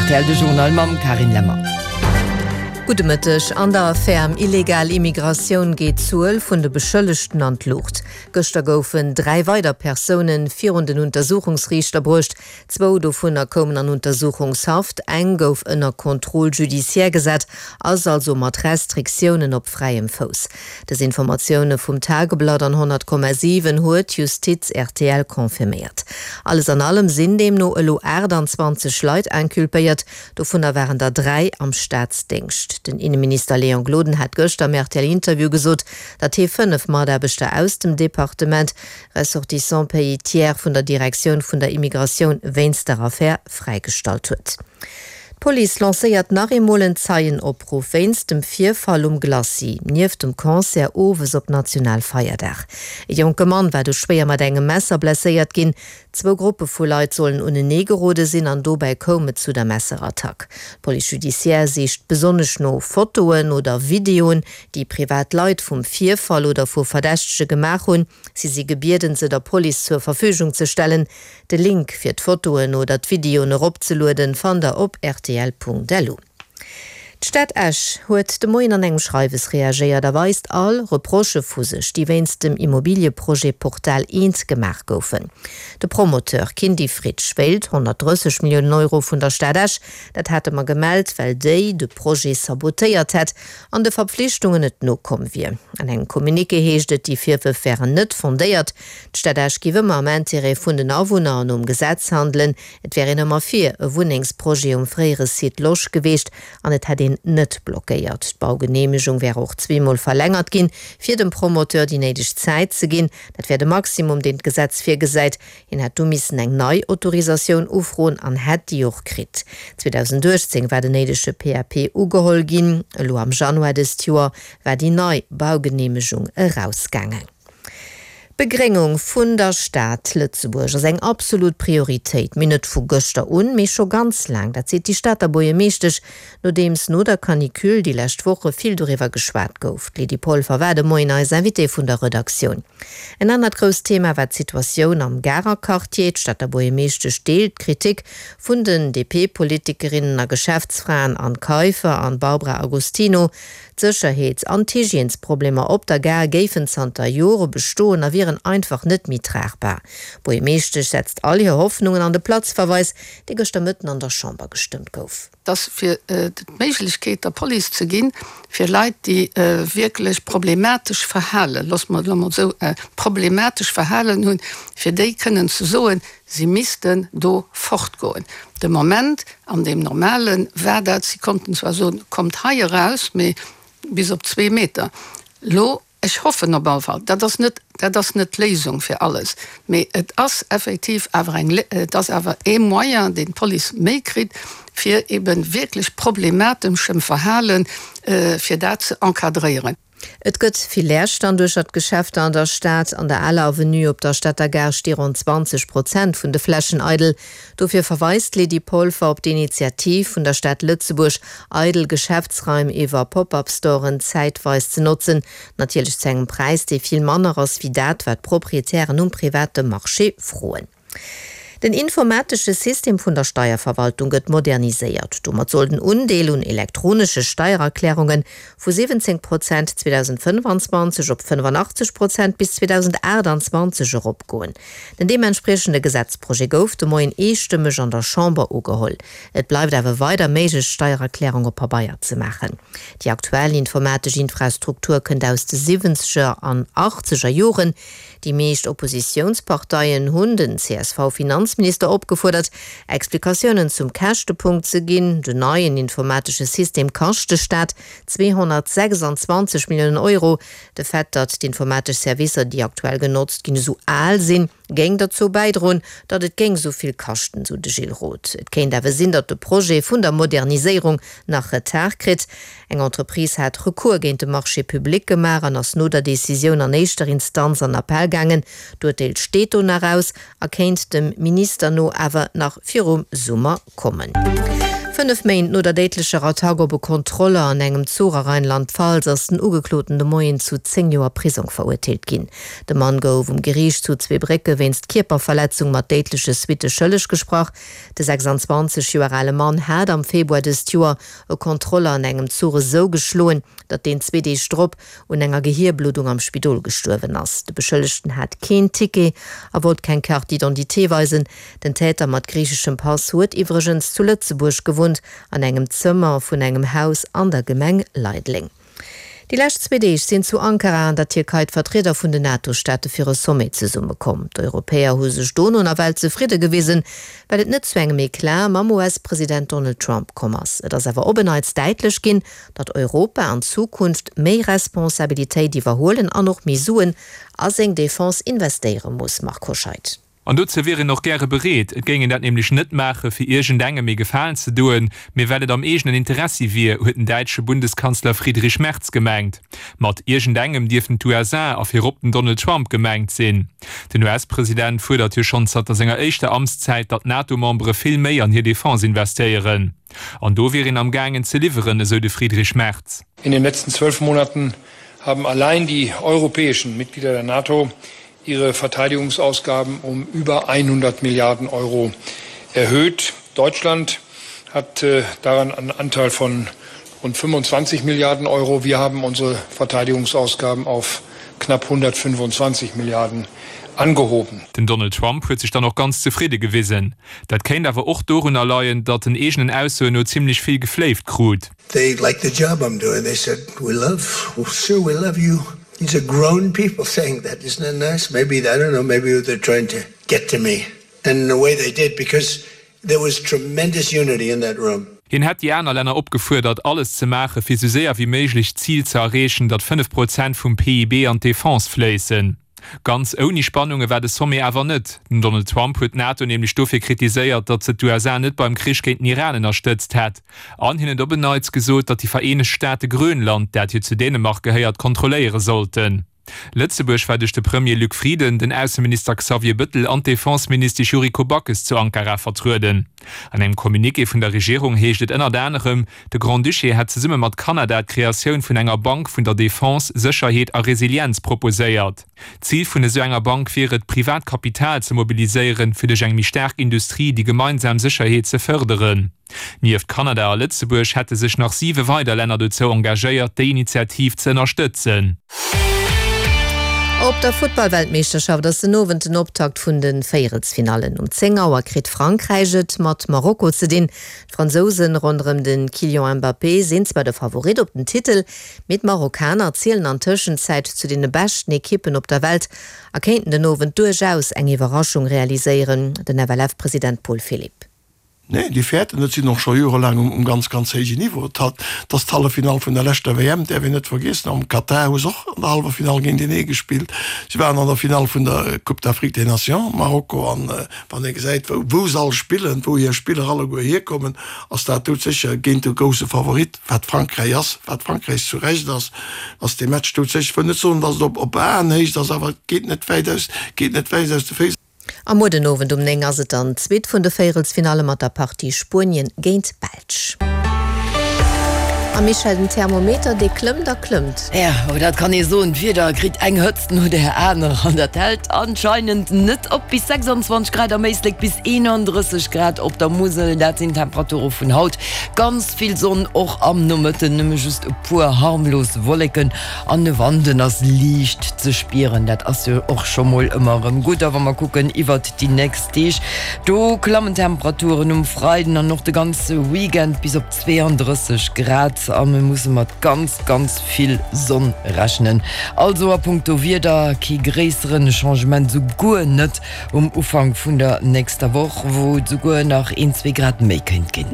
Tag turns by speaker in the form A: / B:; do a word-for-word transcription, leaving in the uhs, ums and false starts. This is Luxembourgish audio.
A: Rtl, de Journal mam Carine Lemmer.
B: Gudde Mëtteg. An der Affär ëm illegal Immigratioun geet d'Zuel vun de Beschëllegten an d'Luucht. Gëschter goufen dräi weider Persoune virun den Untersuchungsriichter bruecht. Zwou dovunner koumen an Untersuchungshaft, eng gouf ënner Contrôle judiciaire gesat, ass also mat Restriktiounen op fräiem Fouss. Dës Informatioune vum Tageblatt an honnert Komma siwen huet d'Justiz rtl confirméiert. Alles an allem sinn deemno elo aachtanzwanzeg Leit inculpéiert, dovunner waren der dräi am Staatsdéngscht. Den Inneminister Léon Gloden hat gëschter am R T L-Interview gesot, datt hie fënnef Mataarbechter aus dem Departement Ressortissants pays tiers vun der Direktioun vun der Immigratioun wéinst der Affär fräigestallt huet. D'Police lancéiert nach eemol en Zeienopruff wéinst dem Virfall um Glacis nieft dem Concert owes op Nationalfeierdag. E jonke Mann war do schwéier mat engem Messer blesséiert ginn. Zwou Gruppe vu Leit sollen unenee gerode sinn an dobäi koum et zu der Messerattack. D'Police judiciaire sicht besonnesch no Fotoen oder Videoen, déi privat Leit vum Virfall oder vu Verdächtege gemaach hunn. Si si gebieden, se der Police zur Verfügung ze stellen. De Link fir d'Fotoen oder d'Videoen eropzelueden, fannt der op rtl.lu. D'Stad Esch huet de Moien an engem Schreiwes reagéiert a weist all Reprochë vu sech, déi wéinst dem Immobilieprojet Portal eent gemaach goufen. De Promoteur Kindy Fritsch wéilt honnertdrësseg Milliounen Euro vun der Stad Esch. Dat hate mer gemellt, well déi de Projet sabotéiert hätt an de Verpflichtungen net nokomm wier. An engem Communiqué heescht et, déi Virwërf wären net fondéiert. D'Stad Esch géif ëmmer am Interêt vun den Awunner an nom Gesetz handelen. Et wär een ëmmer fir e Wunnengsprojet um fréiere Site Losch gewiescht an et hätt een net blockéiert. D'Baugeneemegung wär och zweemol verlängert ginn, fir dem Promoteur déi néideg Zäit ze ginn. Dat wär de Maximum, deen d'Gesetz virgesäit. Hien hätt du missen eng nei Autorisatioun ufroen an hätt déi och kritt. zweedausendachtzéng war den néidege P A P ugeholl ginn, elo am Januar dëst Joer war déi nei Baugeneemegung erausgaangen. D'Begréngung vun der Stad Lëtzebuerg ass eng absolut Prioritéit, mee net vu gëschter un, mee scho ganz laang. Dat seet déi Stater Buergermeeschtesch, nodeems no der Canicule déi lescht Woche vill doriwwer geschwat gouf. D'Lydie Polfer war de Moien eis Invitée vun der Redaktioun. En anert grousst Thema war d'Situatioun am Garer Quartier. D'Stater Buergermeeschtesch deelt d'Kritik vun den D P-Politikerinnen a Geschäftsfraen Anne Kaiffer an Barbara Agostino. D'Sécherheets an d'Hygiènesproblemer op der Gare géifen zanter Jore bestoen a wieren einfach net méi tragbar. D'Buergermeeschtesch setzt all hir Hoffnungen an de Platzverweis, dee gëschter Mëtten an der Chamber gestëmmt gouf.
C: Dass fir d'Méiglechkeet der Police ze ginn, fir Leit, déi wierklech problematesch Verhalen, loosse mer et elo mol esou, problematesch Verhalen hunn, fir déi kënnen ze soen, si missten do fortgoen. De Moment an deem Normale war dat, si konnten zwar soen, kommt hei eraus, mee bis op zwee Meter. Elo, ech hoffen op alle Fall, dat ass net, dat ass net d'Léisung fir alles, mee et ass effektiv awer eng, et ass awer ee Moyen, deen d'Police méi kritt, fir eebe wierklech problemateschem Verhalen, fir dat ze encadréieren.
B: Et gëtt vill Leerstand duercher d'Geschäfter an der Stad. An der Aler Avenue op der Stater Gare sti ronn zwanzeg Prozent vun de Flächen eidel. Dofir verweist d'Lydie Polfer op d'Initiativ vun der Stad Lëtzebuerg, eidel Geschäftsraim iwwer Pop-up-Storen zäitweis ze notzen. Natierlech zu engem Präis, dee vill manner ass wéi dat, wat d'Proprietären um private Marché froen. Den informatesche System vun der Steierverwaltung gëtt moderniséiert. Domat soll den Undeel un elektronesche Steiererklärunge vu siwwenzéng Prozent zweedausendfënnefanzwanzeg op fënnefanachteg Prozent bis zweedausendachtanzwanzeg eropgoen. Den deementspriechende Gesetzprojet gouf de Moien eestëmmeg an der Chamber ugeholl. Et bleift awer weider méiglech, d'Steiererklärung op Pabeier ze maachen. Déi aktuell informatesch Infrastruktur kënnt aus de siwwenzeger an achtzeger Joren. Déi meescht Oppositiounsparteien hunn den C S V-Finanzminister opgefuerdert, Explikatiounen zum Käschtepunkt ze ginn. Den neien informatesche System kascht de Staat zweehonnertsechsanzwanzeg Milliounen Euro. De Fait, datt d'informatesch Servicer, déi aktuell genotzt ginn, esou al sinn, géing derzou bäidroen, datt et géing esou vill kaschten, sou de Gilles Roth. Et kéint awer sinn, datt de Projet vun der Moderniséierung nach Retard kritt. Eng Entreprise hat Recours géint de Marché public gemaach an ass no der Decisioun an éischter Instanz an Appell gaangen. D'Urteel steet do nach aus a kéint dem Minister no awer nach virum Summer kommen. Fënnef Méint no der déidlecher Attack op e Kontroller an engem Zuch a Rheinland-Pfalz ass den Ugekloten de Moien zu zéng Joer Prisong verurteelt ginn. De Mann gouf um Geriicht zu Zweebrécke wéinst Kierperverletzung mat déidleche Suitte schëlleg gesprach. De sechsanzwanzeg Joer ale Mann hat am Februar dëst Joer e Kontroller an engem Zuch esou geschloen, datt deen zwee Deeg drop un enger Gehierbluddung am Spidol gestuerwen ass. De Beschëllegten hat keen Ticket a wollt keng Carte d'identité weisen. Den Täter mat griicheschem Pass huet iwwregens zu Lëtzebuerg gewunnt, an engem Zëmmer vun engem Haus an der Gemeng Leideleng. Déi lescht zwee Deeg sinn zu Ankara an der Tierkei d'Vertrieder vun den NATO-Staate fir e Sommet zesummekomm. D'Europäer hu sech dono nawell zefridde gewisen, well et net zu engem Eclat mam U S-President Donald Trump komm ass. Et ass awer op en Neits däitlech ginn, datt Europa an Zukunft méi Responsabilitéit iwwerhuelen an och méi Suen a seng Defense investéiere muss, Marc Hoscheid.
D: An dozou wier een och gäre bereet. Et géing een dat nämlech net maache fir iergendengem e Gefalen ze doen, mee well et am eegenen Interessi wier, huet den däitsche Bundeskanzler Friedrich Merz gemengt. Mat iergendengem dierften d'U S A a virop den Donald Trump gemengt sinn. Den U S-President fuerdert jo schonn zanter senger éischter Amtszäit, datt d'NATO-Membere vill méi an hir Defense investéieren. An do wier een am gaangen ze liwweren, esou de Friedrich Merz.
E: In den letzten zwölf Monaten haben allein die europäischen Mitglieder der NATO ihre Verteidigungsausgaben um über hundert Milliarden Euro erhöht. Deutschland hat äh, daran einen Anteil von rund fünfundzwanzig Milliarden Euro. Wir haben unsere Verteidigungsausgaben auf knapp hundertfünfundzwanzig Milliarden angehoben.
D: Den Donald Trump huet sech dann och ganz zefridde gewisen. Dat kéint awer och dorunner leien, datt en eegenen Aussoen no zimmlech vill gefléift krut.
F: They like the job I'm doing. They said, we love, sure, we love you. These are grown people saying that. Isn't that nice? Maybe, I don't know, maybe they're trying to get to me. And in a way they did, because there was tremendous unity in that room.
D: Hien hätt déi aner Länner opgefuerdert, alles ze maache fir sou séier wéi méiglech d'Zil ze erreechen, datt fënnef Prozent vum P I B an d'Defense fléissen. Ganz ouni Spannunge war de Sommet awer net. Den Donald Trump huet d'NATO nämlech dofir kritiséiert, datt se d'U S A net beim Krich géint den Iran ënnerstëtzt hätt. An hien huet op en Neits gesot, datt déi Vereenegt Staate Grönland, dat jo zu Dänemark gehéiert, kontrolléiere sollten. Lëtzebuerg war duerch de Premier Luc Frieden, den Ausseminister Xavier Bëttel an d'Defenseministesch Yuriko Backes zu Ankara vertrueden. An engem Communiqué vun der Regierung heescht et ënnert anerem, de Grand-Duché hätt zesumme mat Kanada d'Kreatioun vun enger Bank vun der Defense, Sécherheet a Resilienz proposéiert. Zil vun esou enger Bank wier et, privat Kapital ze mobiliséieren, fir duerch eng méi staark Industrie déi gemeinsam Sécherheet ze fërderen. Nieft Kanada a Lëtzebuerg hätte sech nach siwe weider Länner dozou engagéiert, déi Initiativ ze ënnerstëtzen.
B: Op der Futtballweltmeeschterschaft ass den Owend den Optakt vun de Véierelsfinallen. Um zéng Auer kritt Frankräich et mat Marokko ze dinn. D'Fransousen ronderëm de Kylian Mbappé sinn zwar de Favorit op den Titel, mee d'Marokkaner zielen an Tëschenzäit zu deene beschten Ekippen op der Welt a kéinten den Owend duerchaus eng Iwwerraschung realiséieren, den F L F-President Paul Philipp.
G: Nee, déi fäerten net, sinn och scho jorelaang um ganz, ganz héijen Niveau. Dat ass d'Halleffinall vun der leschter W M, däerf een net vergiessen. Am Katar hu se och an der Halleffinall géintenee gespillt. Si waren an der Finall vun der Coupe d'Afrique des Nations, Marokko, an wann ee gesäit, wou, wou se all spillen, wou hir Spiller alleguer hierkommen, ass dat doudsécher géint de grousse Favorit, wat Frankräich ass, wat Frankräich zu Recht ass, ass dee Match doudsécher. Ech wëll net soen, datt et op, op Aenhéicht ass, awer et geet net wäit aus, geet net wäit aus de Féiss.
B: A muer den Owend um néng ass et dann d'zweet vun de Véierelsfinalle mat der Partie Spuenien géint d'Belsch. A Michèle, den Thermometer dee klëmmt a klëmmt.
A: Jo, oh dat kann ee soen, d'Wieder kritt eng Hëtzt no där anerer an dat hält anscheinend net op. Bis sechsandzwanzeg Grad am Éislek, bis eenandrësseg Grad op der Musel, dat sinn d'Temperature vun haut. Ganz vill Sonn och am Nomëtten, nëmme just e puer harmlos Wolleken an de Wand, den ass liicht ze spieren. Dat ass jo och scho mol ëmmer erëm gutt. A wa mer kucken iwwert déi nächst Deeg, do klammen d'Temperaturen um Freiden an och de ganze Weekend bis op zweeandrësseg Grad a mir musse mat ganz, ganz vill Sonn rechnen. Also a punkto Wieder kee gréisseren Changement, souguer net um Ufank vun der nächster Woch, wou et souguer nach een, zwee Grad méi kéint ginn.